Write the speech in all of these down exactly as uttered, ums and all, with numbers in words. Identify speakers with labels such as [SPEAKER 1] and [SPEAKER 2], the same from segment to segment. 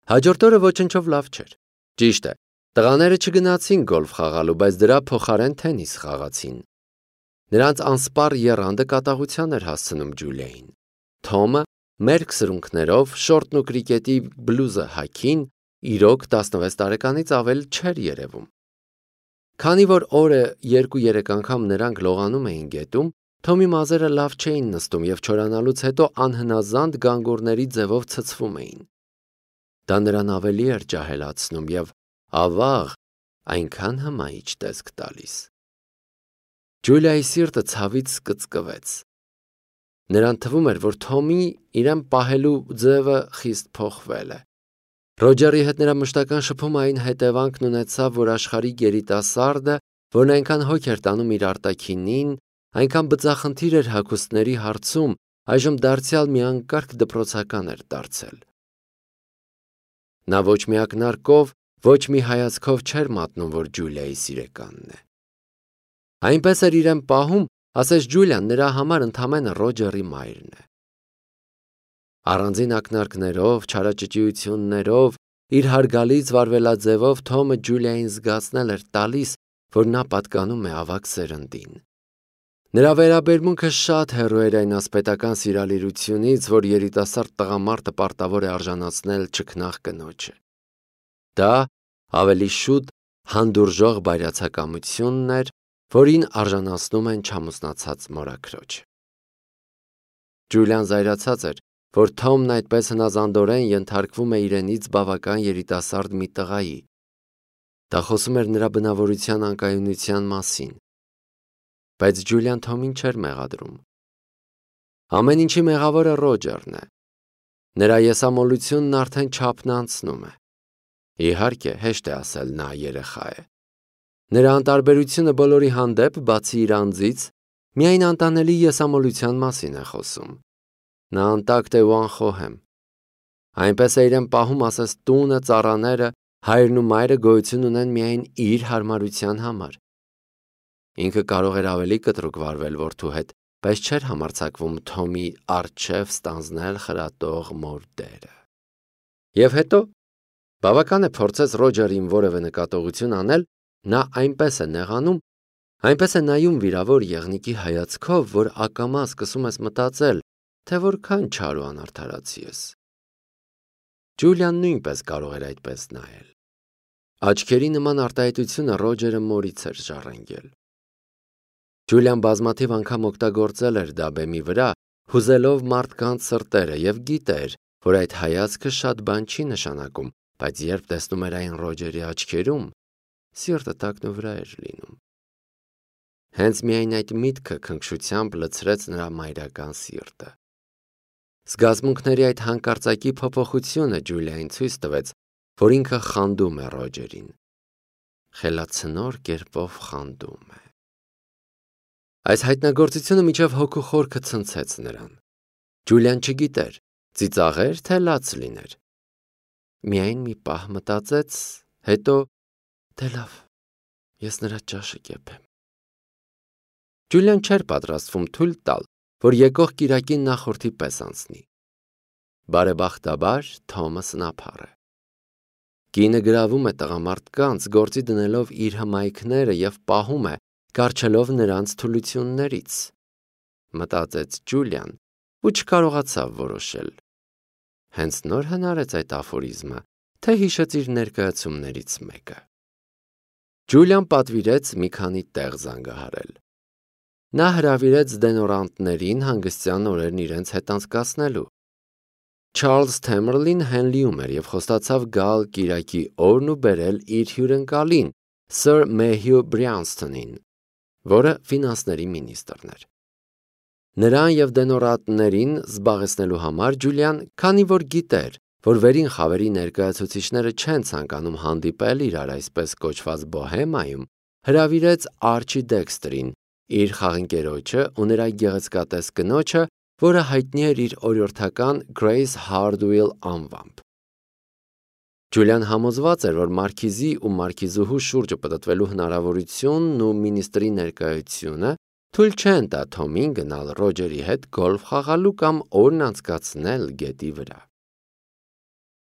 [SPEAKER 1] Հաջորդ օրը ոչնչով լավ չէր։ Ճիշտ է, տղաները չգնացին գոլֆ խաղալու, բայց դրա փոխարեն թենիս խաղացին։ Նրանց անսպառ եռանդը կատաղության էր հասցնում Ջուլիային։ Թոմը մերկ սրունքներով, շորտն ու կրիկետի բլուզը հագին, իրոք տասնվեց տարեկանից ավել չէր երևում։ Քանի որ օրը երկու-երեք անգամ նրանք լողանում էին գետում, Թոմի մազերը լավ չէին նստում և չորանալուց հետո անհնազանդ գանգուրների ձևով ցցվում էին։ Դա նրան ավելի էր ջահելացնում և, ավաղ, այնքան հմայիչ տեսք տալիս։ Ջուլիայի սիրտը ցավից կծկվեց։ Նրան թվում էր, որ Թոմի իրեն պահելու ձևը խիստ փոխվել է։ Ռոջերի հետ նրա մշտական շփումը այն հետևանքն ունեցավ, որ աշխարհիկ երիտասարդը, որն այնքան հոգ էր տանում իր արտաքինին, այնքան բծախնդիր էր հագուստների հարցում, այժմ դարձյալ մի անկարգ դպրոցական էր դարձել։ Նա ոչ մի ակնարկով, ոչ մի հայացքով չէր մատնում, որ Ջուլիայի սիրեկանն է։ Այնպես էր իրեն պահում, ասես Ջուլիան նրա համար ընդամենը Ռոջերի մայրն է։ Առանձին ակնարկներով, չարաճճիություններով, իր հարգալից վարվելաձևով Թոմը Ջուլիային զգացնել էր տալիս, որ նա պատկանում է ավագ սերնդին։ Նրա վերաբերմունքը շատ հեռու էր այն ասպետական սիրալիրությունից, որ երիտասարդ տղամարդը պարտավոր է արժանացնել չքնաղ կնոջը։ Դա ավելի շուտ հանդուրժող բայրացակամությունն էր, որին արժանացնում են չամուսնացած մորաքրոջ։ Ջուլիան զայրացած էր, որ Թոմն այդպես հնազանդորեն ենթարկվում է իրենից բավական երիտասարդ մի տղայի։ Դա խոսում էր նրա բնավորության անկայունության մասին։ Բայց Ջուլիան Թոմին չէր մեղադրում։ Ամեն ինչի մեղավորը Ռոջերն է։ Նրա եսամոլությունն արդեն չափն անցնում է։ Իհարկե, հեշտ է ասել նա երեխա է։ Նրա անտարբերությունը բոլորի հանդեպ, բացի իր անձից, միայն անտանելի եսամոլության մասին է խոսում։ Նա անտակտ է ու անխոհեմ։ Այնպես է իրեն պահում, ասես տունը, ծառաները, հայրն ու մայրը գոյություն ունեն միայն իր հարմարության համար։ Ինքը կարող էր ավելի կտրուկ վարվել որդու հետ, բայց չէր համարձակվում Թոմի առջև ստանձնել խրատող մոր դերը։ Եվ հետո, բավական է փորձեց Ռոջերին որևէ նկատողություն անել, նա այնպես է նեղանում, այնպես է նայում վիրավոր եղնիկի հայացքով, որ ակամա սկսում ես մտածել, թե որքան չար ու անարդարացի ես։ Ջուլիան նույնպես կարող էր այդպես նայել։ Աչքերի նման արտահայտությունը Ռոջերը մորից էր ժառանգել։ Ջուլիան բազմաթիվ անգամ օգտագործել էր դա բեմի վրա, հուզելով մարդկանց սրտերը և գիտեր, որ այդ հայացքը շատ բան չի նշանակում, բայց երբ տեսնում էր այն Ռոջերի աչքերում, սիրտը տակնուվրա էր լինում։ Հենց միայն այդ միտքը քնքշությամբ լցրեց նրա մայրական սիրտը։ Զգացմունքների այդ հանկարծակի փոփոխությունը Ջուլիային ցույց տվեց, որ ինքը խանդում է Ռոջերին։ Խելացնոր կերպով խանդում է։ Այս հայտնագործությունը մինչև հոգու խորքը ցնցեց նրան։ Ջուլիան չգիտեր, ծիծաղեր, թե լաց լիներ։ Միայն մի պահ մտածեց, հետո դե լավ, ես նրա ճաշը կեփեմ։ Ջուլիան չէր պատրաստվում թույլ տալ, որ եկող կիրակին նախորդի պես անցնի։ Բարեբախտաբար Թոմը սնափառ է։ Կինը գրավում է տղամարդկանց, գործի դնելով իր հմայքները և պահում է, կառչելով նրանց թուլություններից, մտածեց Ջուլիան ու չկարողացավ որոշել։ Հենց նոր հնարեց այդ աֆորիզմը, թե հիշեց իր ներկայացումներից մեկը։ Ջուլիան պատվիրեց մի քանի տեղ զանգահարել։ Նա հրավիրեց դենորանտներին հանգստյան օրերն իրենց հետ անցկացնելու։ Չարլզ Թեմերլին Հենլիում էր և խոստացավ գալ կիրակի օրն ու բերել իր հյուրընկալին, Սր Մեհյու Բրյանստոնին, որը ֆինանսների մինիստրն էր։ Նրան և դենորանտներին զբաղեցնելու համար Ջուլիան, քանի որ գիտեր, որ վերին խավերի ներկայացուցիչները չեն ցանկանում հանդիպել իրար այսպես կոչված բոհեմայում, հրավիրեց Արչի Դեքստրին, իր խաղընկերոջը ու նրա գեղեցկատես կնոջը, որը հայտնի էր իր օրիորդական Գրեյս Հարդուիլ անվամբ։ Ջուլիան համոզված էր, որ մարքիզի ու մարքիզուհու շուրջը պտտվելու հնարավորությունն ու մինիստրի ներկայությունը թույլ չեն տա Թոմին գնալ Ռոջերի հետ գոլֆ խաղալու կամ օրն անցկացնել գետի վրա։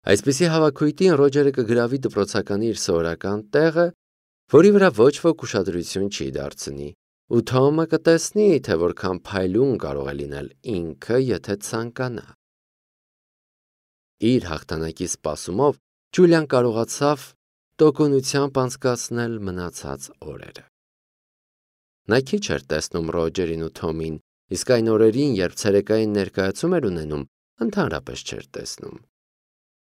[SPEAKER 1] Այսպիսի հավաքույթին Ռոջերը կգրավի դպրոցականի իր սովորական տեղը, որի վրա ոչ ոք ուշադրություն չի դարձնի, ու Թոմը կտեսնի, թե որքան փայլուն կարող է լինել ինքը, եթե ցանկանա։ Իր հաղթանակի սպասումով Ջուլիան կարողացավ տոկունությամբ անցկացնել մնացած օրերը։ Նա քիչ էր տեսնում Ռոջերին ու Թոմին, իսկ այն օրերին, երբ ցերեկային ներկայացում էր ունենում, ընդհանրապես չէր տեսնում։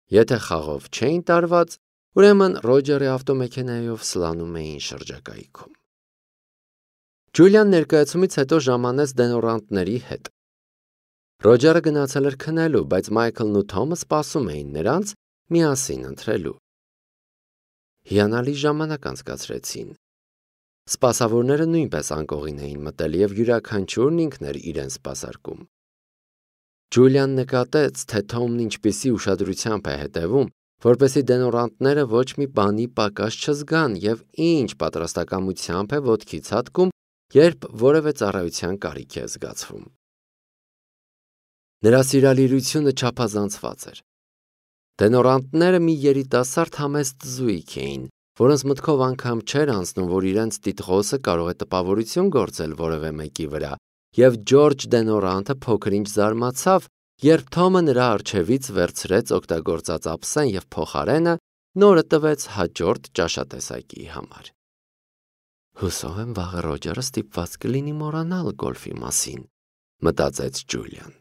[SPEAKER 1] Եթե խաղով չէին տարված, ուրեմն Ռոջերի ավտոմեքենայով սլանում էին շրջակայքում։ Ջուլիան ներկայացումից հետո ժամանեց դենորանտների հետ։ Ռոջերը գնացել էր քնելու, բայց Մայքլն ու Թոմը սպասում էին նրանց միասին ընթրելու։ Հիանալի ժամանակ անցկացրեցին։ Սպասավորները նույնպես անկողին էին մտել և յուրաքանչյուրն ինքն էր իրեն սպասարկում։ Ջուլիան նկատեց, թե Թոմն ինչպիսի ուշադրությամբ է հետևում, որպեսզի դենորանտները ոչ մի բանի պակաս չզգան և ինչ պատրաստակամությամբ է ոտքի ցատկում, երբ որևէ ծառայության կարիք է զգացվում։ Նրա սիրալիրությունը չափազանցված էր։ Դենորանտները մի երիտասարդ համեստ զույգ էին, որոնց մտքով անգամ չէր անցնում, որ իրենց տիտղոսը կարող է տպավորություն գործել որևէ մեկի վրա, և Ջորջ Դենորանտը փոքր-ինչ զարմացավ, երբ Թոմը նրա առջևից վերցրեց օգտագործած ափսեն և փոխարենը նորը տվեց հաջորդ ճաշատեսակի համար։ Հուսով եմ վաղը Ռոջերը ստիպված կլինի մոռանալ գոլֆի մասին, մտածեց Ջուլիան։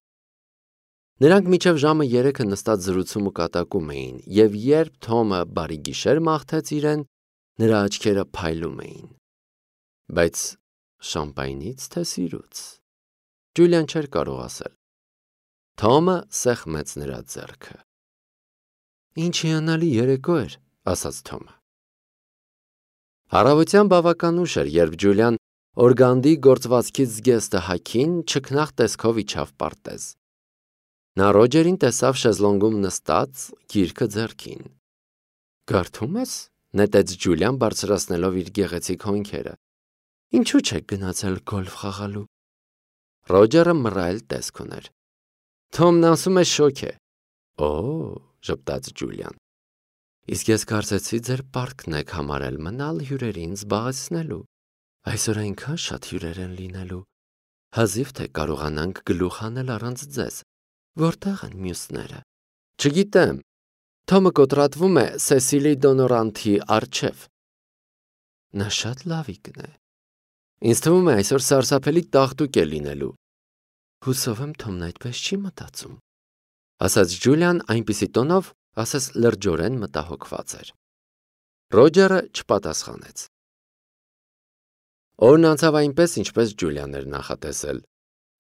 [SPEAKER 1] Նրանք մինչև ժամը երեքը նստած զրուցում ու կատակում էին, և երբ Թոմը բարի գիշեր մաղթեց իրեն, նրա աչքերը փայլում էին։ Բայց շամպայնից թե սիրուց։ Ջուլիան չէր կարող ասել։ Թոմը սեղմեց նրա ձեռքը։ Ինչ հիանալի երեկո էր, ասաց Թոմը։ Առավոտյան բավական ուշ էր, երբ Ջուլիան օրգանդի գործվածքից զգեստը հագին չքնաղ տեսքով իջավ պարտեզ։ Նա Ռոջերին տեսավ շեզլոնգում նստած, գիրքը ձեռքին։ Կարդում ես, նետեց Ջուլիան բարձրացնելով իր գեղեցիկ հոնքերը։ Ինչու չեք գնացել գոլֆ խաղալու։ Ռոջերը մռայլ տեսք ուներ։ Թոմն ասում է շոգ է։ Օ, ժպտաց Ջուլիան։ Իսկ ես կարծեցի ձեր պարտքն եք համարել մնալ հյուրերին զբաղեցնելու։ Այսօր այնքան շատ հյուրեր են լինելու։ Հազիվ թե կարողանանք գլուխ հանել առանց ձեզ։ Որտեղ են մյուսները։ Չգիտեմ։ Թոմը կոտրատվում է Սեսիլի Դոնորանթի առջև։ Նա շատ լավիկն է։ Ինձ թվում է այսօր սարսափելի տաղտուկ է լինելու։ Հուսով եմ Թոմն այդպես չի մտածում, ասաց Ջուլիան այնպիսի տոնով, ասես լրջորեն մտահոգված էր։ Ռոջերը չպատասխանեց։ Օրն անցավ այնպես, ինչպես Ջուլիան էր նախատեսել։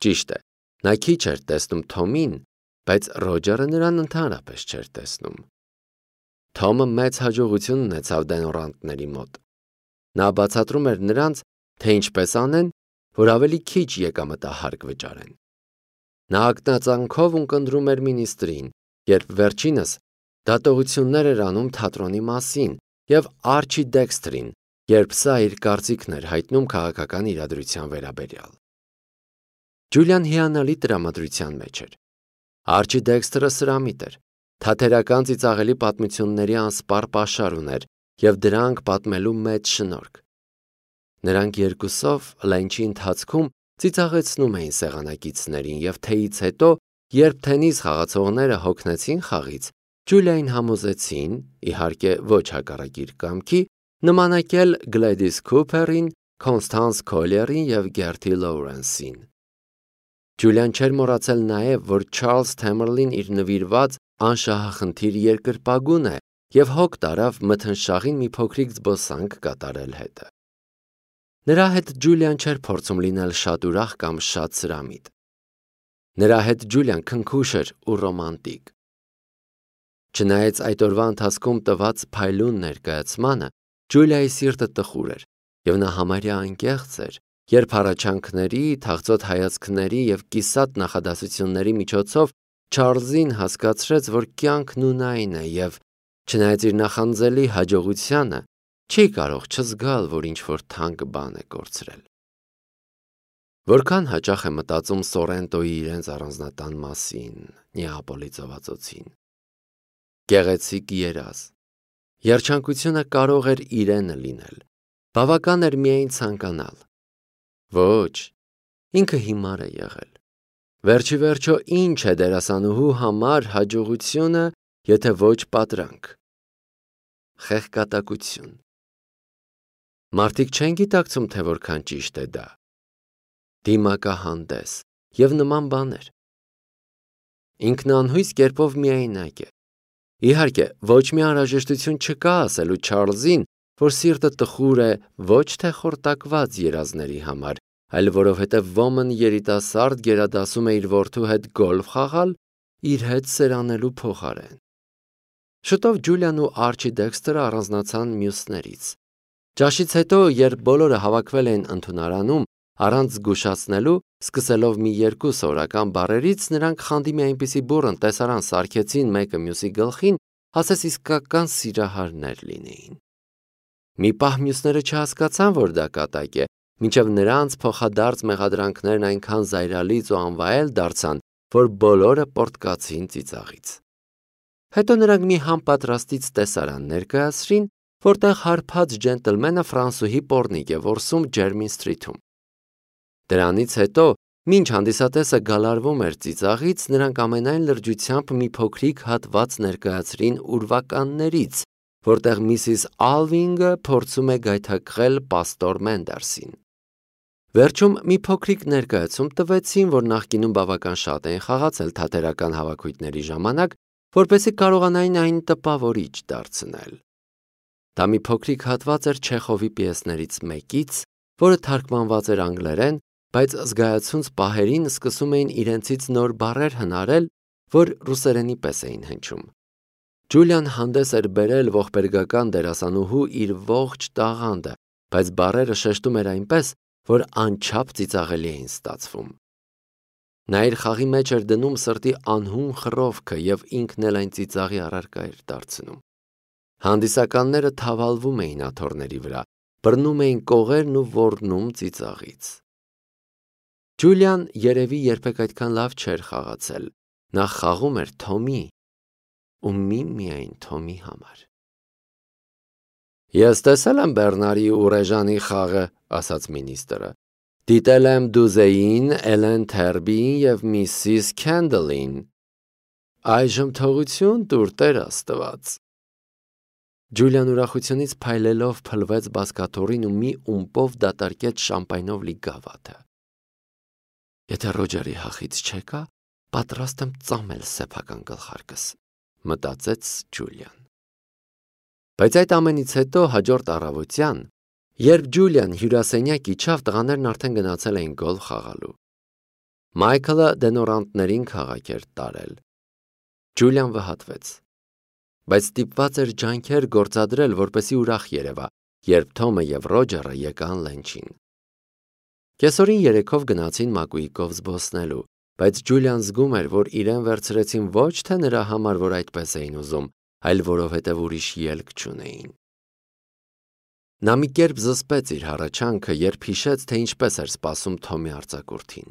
[SPEAKER 1] Ճիշտ է, նա քիչ էր տեսնում Թոմին, բայց Ռոջերը նրան ընդհանրապես չէր տեսնում։ Թոմը մեծ հաջողություն ունեցավ դենորանտների մոտ։ Նա բացատրում էր նրանց, թե ինչպես անեն, որ ավելի քիչ եկամտահարկ վճարեն։ Նա ակնածանքով ունկնդրում էր մինիստրին, երբ վերջինս դատողություններ էր անում թատրոնի մասին, և Արչի Դեքսթրին, երբ սա իր կարծիքն էր հայտնում քաղաքական իրադրության վերաբերյալ։ Ջուլիան հիանալի տրամադրության մեջ էր։ Արչի Դեքսթրը սրամիտ էր, թատերական ծիծաղելի պատմությունների անսպառ պաշար ուներ և դրանք պատմելու մեծ շնորհք։ Նրանք երկուսով լենչի ընթացքում ծիծաղեցնում էին սեղանակիցներին և թեյից հետո, երբ թենիս խաղացողները հոգնեցին խաղից, Ջուլիային համոզեցին, իհարկե ոչ հակառակ իր կամքի, նմանակել Գլեդիս Քուփերին, Քոնստանս Քոլերին և Գերթի Լոուրենսին։ Ջուլիան չէր մոռացել նաև, որ Չարլզ Թեմերլին իր նվիրված անշահախնդիր երկրպագուն է և հոգ տարավ մթնշաղին մի փոքրիկ զբոսանք կատարել հետը։ Նրա հետ Ջուլիան չէր փորձում լինել շատ ուրախ կամ շատ սրամիտ։ Նրա հետ Ջուլիան քնքուշ էր ու ռոմանտիկ։ Չնայած այդ օրվա ընթացքում տված փայլուն ներկայացմանը, Ջուլիայի սիրտը տխուր էր, և նա համարյա անկեղծ էր, երբ հառաչանքների, թախծոտ հայացքների և կիսատ նախադասությունների միջոցով Չարլզին հասկացրեց, որ կյանքն ունայն է և, չնայած իր նախանձելի հաջողությանը, չի կարող չզգալ, որ ինչ-որ թանկ բան է կորցրել։ Որքան հաճախ է մտածում Սորենտոյի իրենց առանձնատան մասին, Նեապոլի ծովածոցին։ գեղեցիկ երազ։ Երջանկությունը կարող էր իրենը լինել, բավական էր միայն ցանկանալ։ Ոչ, ինքը հիմար է եղել։ Վերջի վերջո ինչ է դերասանուհու համար հաջողությունը, եթե ոչ պատրանք։ Խեղկատակություն։ Մարդիկ չեն գիտակցում, թե որքան ճիշտ է դա։ Դիմակահանդես և նման բաներ։ Ինքն անհույս կերպով միայնակ է։ Իհարկե, ոչ մի անհրաժեշտություն չկա ասելու Չարլզին, որ սիրտը տխուր է ոչ թե խորտակված երազների համար, այլ որովհետև ոմն երիտասարդ գերադասում է իր որդու հետ գոլֆ խաղալ իր հետ սերանելու փոխարեն։ Շուտով Ջուլիան ու Արչի Դեքսթերը առանձնացան մյուսներից։ Ճաշից հետո, երբ բոլորը հավաքվել էին ընդունարանում, առանց զգուշացնելու, սկսելով մի երկու սովորական բառերից, նրանք խանդի մի այնպիսի բուռն տեսարան սարքեցին մեկը մյուսի գլխին, ասես իսկական սիրահարներ լինեին։ Մի պահ մյուսները չհասկացան, որ դա կատակ է, մինչև նրանց փոխադարձ մեղադրանքներն այնքան զայրալից ու անվայել դարձան, որ բոլորը պոռթկացին ծիծաղից։ Հետո նրանք մի համապատրաստից տեսարան ներկայացրին, որտեղ հարբած ջենտլմենը ֆրանսուհի պոռնիկ է որսում Ջերմին Սթրիթում։ Դրանից հետո, մինչ հանդիսատեսը գալարվում էր ծիծաղից, նրանք ամենայն լրջությամբ մի փոքրիկ հատված ներկայացրին ուրվականներից, որտեղ միսիս Ալվինգը փորձում է գայթակղել պաստոր Մենդերսին։ Վերջում մի փոքրիկ ներկայացում տվեցին, որ նախկինում բավական շատ էին խաղացել թատերական հավաքույթների ժամանակ, որպեսզի կարողանային այն տպավորիչ դարձնել։ Դա մի փոքրիկ հատված էր Չեխովի պիեսներից մեկից, որը թարգմանված էր անգլերեն, բայց զգայացունց պահերին սկսում էին իրենցից նոր բառեր հնարել, որ ռուսերենի պես էին հնչում։ Ջուլիան հանդես էր բերել ողբերգական դերասանուհու իր ողջ տաղանդը, բայց բառերը շեշտում էր այնպես, որ անչափ ծիծաղելի էին ստացվում։ Նա իր խաղի մեջ էր դնում սրտի անհուն խռովքը և ինքն էլ այն ծիծաղի առարկա էր դարձնում։ Հանդիսականները թավալվում էին աթոռների վրա, բռնում էին կողերն ու ոռնում ծիծաղից։ Ջուլիան երևի երբեք այդքան լավ չէր խաղացել։ Նա խաղում էր Թոմի ու միմիայն Թոմի համար։ Ես տեսել եմ Բեռնարի ու Ռեժանի խաղը, ասաց մինիստրը։ Դիտել եմ Դուզեին, Էլեն Թերբիին և միսիս Քենդլին։ Այժմ թողություն տուր, Տեր Աստված։ Ջուլիան ուրախությունից փայլելով փլվեց բազկաթոռին ու մի ումպով դատարկեց շամպայնով լի գավաթը։ Եթե Ռոջերի հախից չեկա, պատրաստ եմ ծամել սեփական գլխարկս, մտածեց Ջուլիան։ Բայց այդ ամենից հետո հաջորդ առավոտյան, երբ Ջուլիան հյուրասենյակ իջավ, տղաներն արդեն գնացել էին գոլֆ խաղալու։ Մայքլը դենորանտներին քաղաք էր տարել։ Ջուլիան վհատվեց, բայց ստիպված էր ջանքեր գործադրել, որպեսզի ուրախ երևա, երբ Թոմը և Ռոջերը եկան լենչին։ Կեսօրին երեքով գնացին Մակուիկով զբոսնելու, բայց Ջուլիան զգում էր, որ իրեն վերցրեցին ոչ թե նրա համար, որ այդպես էին ուզում, այլ որովհետև ուրիշ ելք չունեին։ Նա մի կերպ զսպեց իր հառաչանքը, երբ հիշեց, թե ինչպես էր սպասում Թոմի արձակուրդին։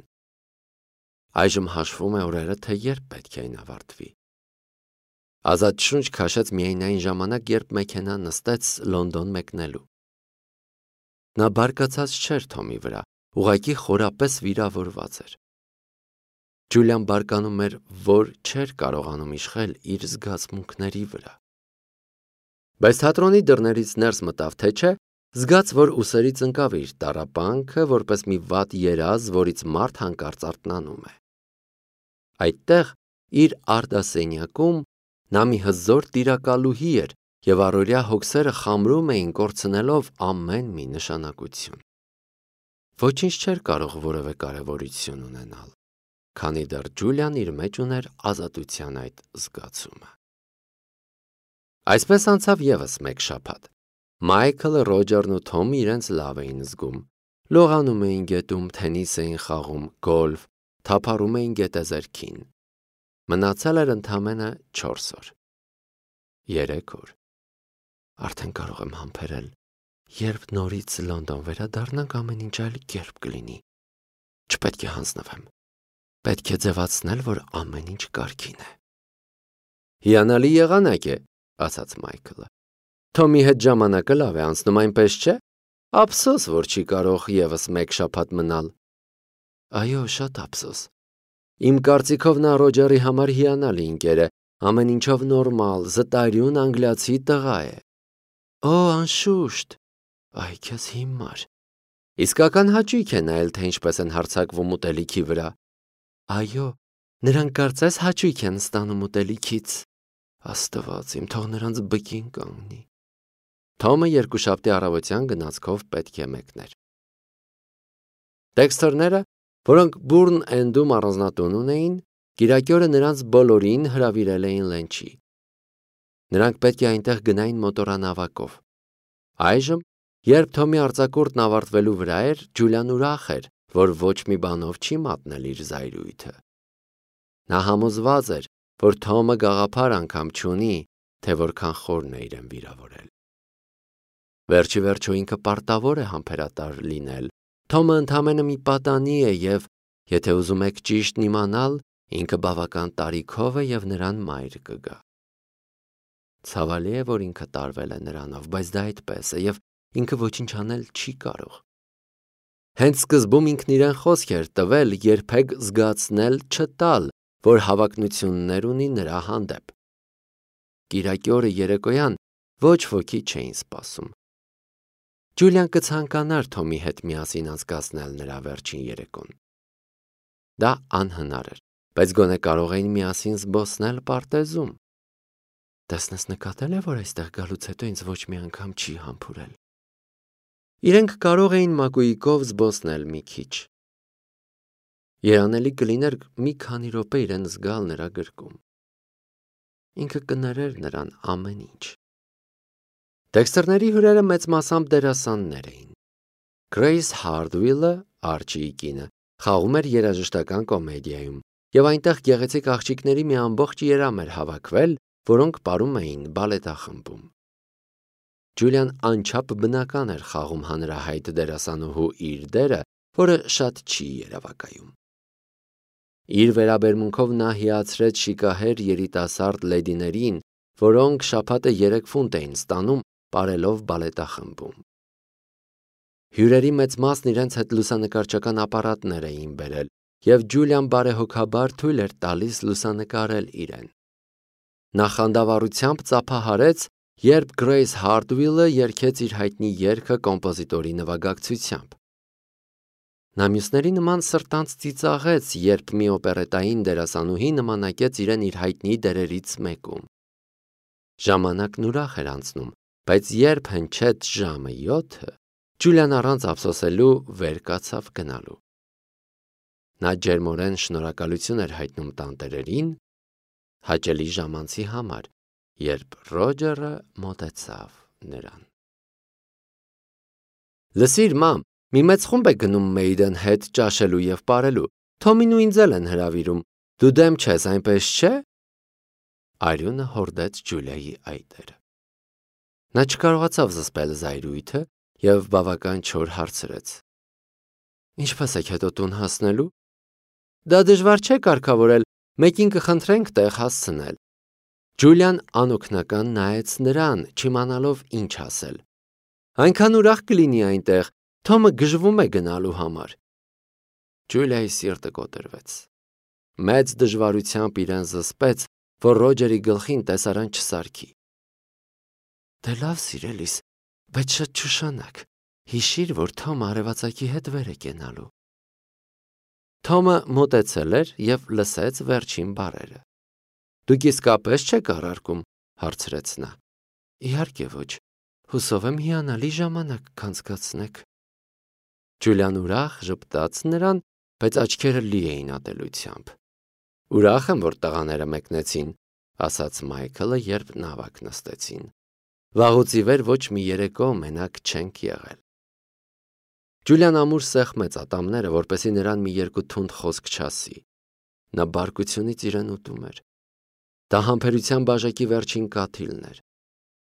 [SPEAKER 1] Այժմ հաշվում է օրերը, թե երբ պետք է այն ավարտվի։ Ազատ շունչ քաշեց միայն այն ժամանակ, երբ մեքենան նստեց Լոնդոն մեկնելու։ Նա բարկացած չէր Թոմի վրա, ուղղակի խորապես վիրավորված էր։ Ջուլիան բարկանում էր, որ չէր կարողանում իշխել իր զգացմունքների վրա։ Բայց թատրոնի դռներից ներս մտավ, թե չէ, զգաց, որ ուսերից ընկավ իր տառապանքը, որպես մի վատ երազ, որից մարդ հանկարծ արթնանում է։ Այդտեղ, իր արդասենյակում, նա մի հզոր տիրակալուհի էր և առօրյա հոգսերը խամրում էին, կորցնելով ամեն մի նշանակություն։ Ոչինչ չէր կարող որևէ կարևորություն ունենալ, քանի դեռ Ջուլիան իր մեջ ուներ ազատության այդ զգացումը։ Այսպես անցավ ևս մեկ շաբաթ։ Մայքլը, Ռոջերն ու Թոմը իրենց լավ էին զգում։ Լողանում էին գետում, թենիս էին խաղում, գոլֆ, թափառում էին գետեզերքին։ Մնացել էր ընդամենը չորս օր։ Երեք օր։ Արդեն կարող եմ համբերել, երբ նորից Լոնդոն վերադառնանք, ամեն ինչ այլ կերպ կլինի։ Չպետք է հանձնվեմ։ Պետք է ձևացնել, որ ամեն ինչ կարգին է։ Հիանալի եղանակ է, ասաց Մայքլը։ Թոմի հետ ժամանակը լավ է անցնում, այնպես չէ։ Ափսոս, որ չի կարող ևս մեկ շաբաթ մնալ։ Այո, շատ ափսոս։ Իմ կարծիքով նա Ռոջերի համար հիանալի ընկեր է, ամեն ինչով նորմալ, զտարյուն անգլիացի տղա է։ Օ, անշուշտ։ Այ քեզ հիմար։ Իսկական հաճույք է նայել, թե ինչպես են հարձակվում ուտելիքի վրա։ Այո, նրանք կարծես հաճույք են ստանում ուտելիքից։ Աստված իմ, թող նրանց բկին կանգնի։ Թոմը երկուշաբթի առավոտյան գնացքով պետք է մեկներ։ Դեքսթերները, որոնք Բուրն Էնդում առանձնատուն ունեին, կիրակի օրը նրանց բոլորին հրավիրել էին լենչի։ Նրանք պետք է այնտեղ գնային մոտորանավակով։ Այժմ, երբ Թոմի արձակուրդն ավարտվելու վրա էր, Ջուլիան ուրախ էր, որ ոչ մի բանով չի մատնել իր զայրույթը։ Նա համոզված էր, որ Թոմը գաղափար անգամ չունի, թե որքան խորն է իրեն վիրավորել։ Վերջի վերջո ինքը պարտավոր է համբերատար լինել։ Թոմը ընդամենը մի պատանի է և, եթե ուզում եք ճիշտն իմանալ, ինքը բավական տարիքով է և նրան մայր կգա։ Ցավալի է, որ ինքը տարվել է նրանով, բայց դա այդպես է և ինքը ոչինչ անել չի կարող։ Հենց սկզբում ինքն իրեն խոսք էր տվել երբեք զգացնել չտալ, որ հավակնություններ ունի նրա հանդեպ։ Կիրակի օրը երեկոյան ոչ ոքի չէին սպասում։ Ջուլիան կցանկանար Թոմի հետ միասին անցկացնել նրա վերջին երեկոն։ Դա անհնար էր, բայց գոնե կարող էին միասին զբոսնել պարտեզում։ Տեսնես նկատել է, որ այստեղ գալուց հետո ինձ ոչ մի անգամ չի համբուրել։ Իրենք կարող էին մակույկով զբոսնել մի քիչ։ Երանելի կլիներ մի քանի րոպե իրեն զգալ նրա գրկում։ Ինքը կներեր նրան ամեն ինչ։ Դեքսթերների հյուրերը մեծ մասամբ դերասաններ էին։ Գրեյս Հարդվիլը, Արչիի կինը, խաղում էր երաժշտական կոմեդիայում, և այնտեղ գեղեցիկ աղջիկների մի ամբողջ երամ էր հավաքվել, որոնք պարում էին բալետախմբում։ Ջուլիան անչափ բնական էր խաղում հանրահայտ դերասանուհու իր դերը, որը շատ չի երևակայում։ Իր վերաբերմունքով նա հիացրեց շիկահեր երիտասարդ լեդիներին, որոնք շաբաթը երեք ֆունտ էին ստանում, պարելով բալետախմբում։ Հյուրերի մեծ մասն իրենց հետ լուսանկարչական ապարատներ էին բերել, և Ջուլիան բարեհոգաբար թույլ էր տալիս լուսանկարել իրեն։ Նա խանդավառությամբ ծափահարեց, երբ Գրեյս Հարդվիլը երգեց իր հայտնի երգը կոմպոզիտորի նվագակցությամբ։ Նա մյուսների նման սրտանց ծիծաղեց, երբ մի օպերետային դերասանուհի նմանակեց իրեն իր հայտնի դերերից մեկում։ Ժամանակն ուրախ էր անցնում, բայց երբ հնչեց ժամը յոթը, Ջուլիան առանց ափսոսելու վեր կացավ գնալու։ Նա ջերմորեն շնորհակալություն էր հայտնում տանտերերին, հաճելի ժամանցի համար, երբ Ռոջերը մոտեցավ նրան։ Լսիր, մամ, մի մեծ խումբ է գնում Մեյդեն հետ ճաշելու և պարելու։ Թոմին ու ինձ էլ են հրավիրում։ Դու դեմ չես, այնպես չէ՞։ Արյունը հորդեց Ջուլիայի այտերը։ Նա չկարողացավ զսպել զայրույթը և բավական չոր հարցրեց. Ինչպես եք հետո տուն հասնելու։ Դա դժվար չէ կարգավորել, մեկին կխնդրենք տեղ հասցնել։ Ջուլիան անօգնական նայեց նրան, չիմանալով ինչ ասել։ Այնքան ուրախ կլինի այնտեղ, Թոմը գժվում է գնալու համար։ Ջուլիայի սիրտը կոտրվեց։ Մեծ դժվարությամբ իրեն զսպեց, որ Ռոջերի գլխին տեսարան չսարքի։ Դե լավ, սիրելիս, բայց շատ չուշանաք։ Հիշիր, որ Թոմը արևածագի հետ վեր է կենալու։ Թոմը մոտեցել էր և լսեց վերջին բառերը։ Դուք իսկապես չեք առարկում, հարցրեց նա։ Իհարկե ոչ, հուսով եմ հիանալի ժամանակ կանցկացնեք։ Ջուլիան ուրախ ժպտաց նրան, բայց աչքերը լի էին ատելությամբ։ Ուրախ եմ, որ տղաները մեկնեցին, ասաց Մայքլը, երբ նավակ նստեցին։ Վաղուց ի վեր ոչ մի երեկո մենակ չենք եղել։ Ջուլիան ամուր սեղմեց ատամները, որպեսզի նրան մի երկու թունդ խոսք չասի։ Նա բարկությունից իրեն ուտում էր։ Դա համբերության բաժակի վերջին կաթիլն էր։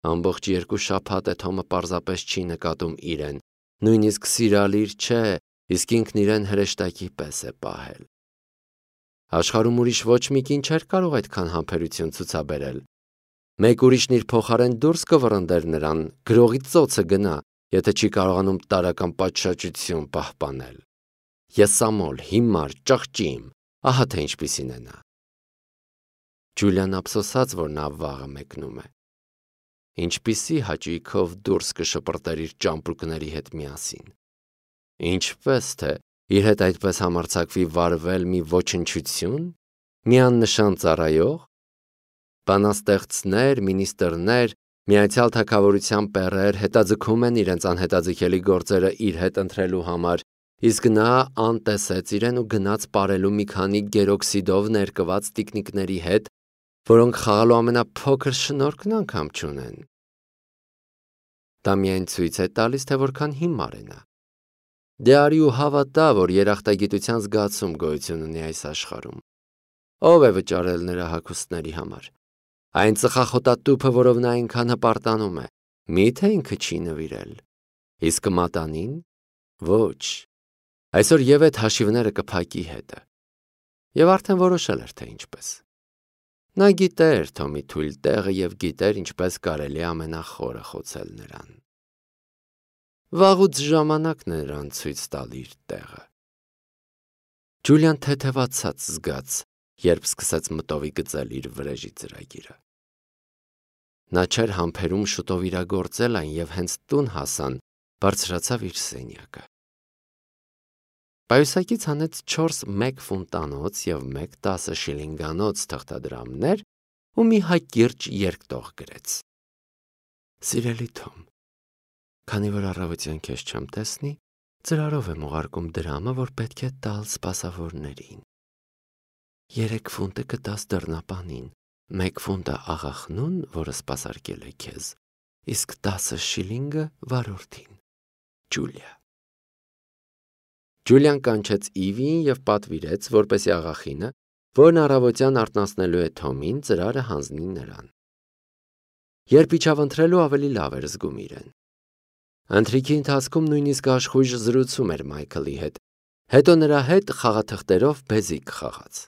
[SPEAKER 1] Ամբողջ երկու շաբաթ է Թոմը պարզապես չի նկատում իրեն, նույնիսկ սիրալիր չէ, իսկ ինքն իրեն հրեշտակի պես է պահել։ Աշխարհում ուրիշ ոչ մի կին չէր կարող այդքան համբերություն ցուցաբերել։ Մեկ ուրիշն իր փոխարեն դուրս կվռնդեր նրան, գրողի ծոցը գնա, եթե չի կարողանում տարական պատշաճություն պահպանել։ Եսամոլ, հիմար, ճղճիմ, ահա թե ինչպիսին է նա։ Ջուլիան ափսոսաց, որ նա վաղը մեկնում է։ Ինչպիսի հաճույքով դուրս կշպրտեր իր ճամպրուկների հետ միասին։ Ինչպես թե իր հետ այդպես համարձակվի վարվել մի ոչնչություն, մի աննշան ծառայող, բանաստեղծներ, մինիստրներ, Միացյալ Թագավորության պերեր հետաձգում են իրենց անհետաձգելի գործերը իր հետ ընտրելու համար, իսկ նա անտեսեց իրեն ու գնաց ապարելու մի քանի գերօքսիդով ներկված տիկնիկների հետ, որոնք խաղալու ամենափոքր շնորհքն անգամ չունեն։ Դա միայն ցույց է տալիս, թե որքան հիմար է նա։ Դե արի ու հավատա, որ երախտագիտության զգացում գոյություն ունի այս աշխարհում։ Ո՞վ է վճարել նրա հագուստների համար։ Այն ծխախոտատուփը, որով նա այնքան հպարտանում է, մի՞թե ինքը չի նվիրել։ Իսկ մատանին։ Ոչ։ Այսօր եւ այդ հաշիվները կփակի հետը։ Եվ արդեն որոշել էր, թե ինչպես։ Նա գիտեր Թոմի թույլ տեղը եւ գիտեր ինչպես կարելի է ամենախորը խոցել նրան։ Վաղուց ժամանակն է նրան ցույց տալ իր տեղը։ Ջուլիան թեթևացած զգաց, երբ սկսեց մտովի գծել իր վրեժի ծրագիրը։ Նա չէր համբերում շուտով իրագործել այն եւ հենց տուն հասան, բարձրացավ իր սենյակը։ Պայուսակից հանեց չորս մեկ ֆունտանոց եւ մեկ տասը շիլինգանոց թղթադրամներ ու մի հակիրճ երկտող գրեց։ Սիրելի Թոմ, քանի որ առավոտյան քեզ չեմ տեսնի, ծրարով եմ ուղարկում դրամը, որ պետք է տալ սպասավորներին։ Երեք ֆունտը կտաս դռնապանին, մեկ ֆունտը աղախնուն, որը սպասարկել է քեզ, իսկ տասը շիլինգը վարորդին։ Ջուլիա։ Ջուլիան կանչեց Իվիին եւ պատվիրեց, որպեսի աղախինը, որն առավոտյան արթնացնելու է Թոմին, ծրարը հանձնի նրան։ Երբ իջավ ընթրելու, ավելի լավ էր զգում իրեն։ Ընթրիքի ընթացքում նույնիսկ աշխույժ զրուցում էր Մայքլի հետ, հետո նրա հետ խաղաթղթերով բեզիկ խաղաց։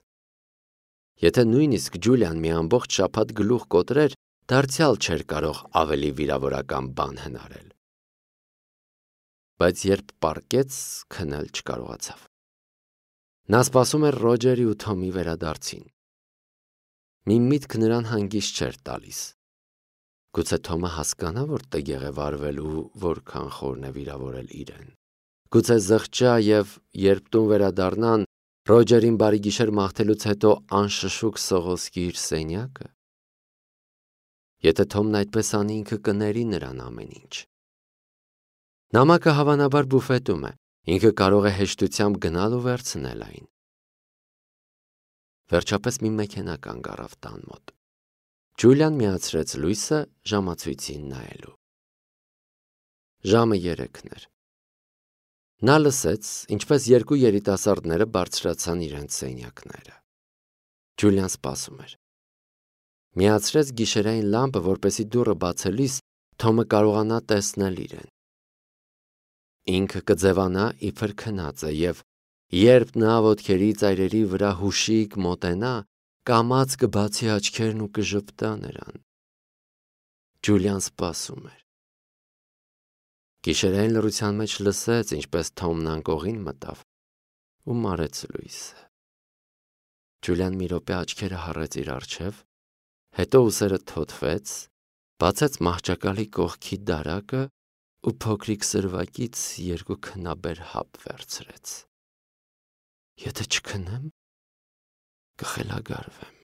[SPEAKER 1] Եթե նույնիսկ Ջուլիան մի ամբողջ շաբաթ գլուխ կոտրեր, դարձյալ չէր կարող ավելի վիրավորական բան հնարել։ Բայց երբ պառկեց, քնել չկարողացավ։ Նա սպասում էր Ռոջերի ու Թոմի վերադարձին։ Մի միտք նրան հանգիստ չէր տալիս։ Գուցե Թոմը հասկանա, որ տգեղ է վարվել ու որքան խորն է վիրավորել իրեն։ Գուցե զղջա եւ երբ տուն վերադառնան, Ռոջերին բարի գիշեր մաղթելուց հետո անշշուկ սողոսկի իր սենյակը։ Եթե Թոմն այդպես անի, ինքը կների նրան ամեն ինչ։ Նամակը հավանաբար բուֆետում է, ինքը կարող է հեշտությամբ գնալ ու վերցնել այն։ Վերջապես մի մեքենա կանգ առավ տան մոտ։ Ջուլիան միացրեց լույսը ժամացույցին նայելու։ Ժամը երեքն էր։ Նա լսեց, ինչպես երկու երիտասարդները բարձրացան իրենց սենյակները։ Ջուլիան սպասում էր։ Միացրեց գիշերային լամպը, որպեսզի դուռը բացելիս Թոմը կարողանա տեսնել իրեն։ Ինքը կձևանա իբր քնած է եւ երբ նա ոտքերի ծայրերի վրա հուշիկ մոտենա, կամաց կբացի աչքերն ու կժպտա նրան։ Ջուլիան սպասում էր։ Գիշերային լռության մեջ լսեց, ինչպես Թոմն անկողին մտավ ու մարեց լույսը։ Ջուլիան մի րոպե աչքերը հառեց իր առջև, հետո ուսերը թոթվեց, բացեց մահճակալի կողքի դարակը ու փոքրիկ սրվակից երկու քնաբեր հապ վերցրեց։ Եթե չքնեմ, կխելագարվեմ։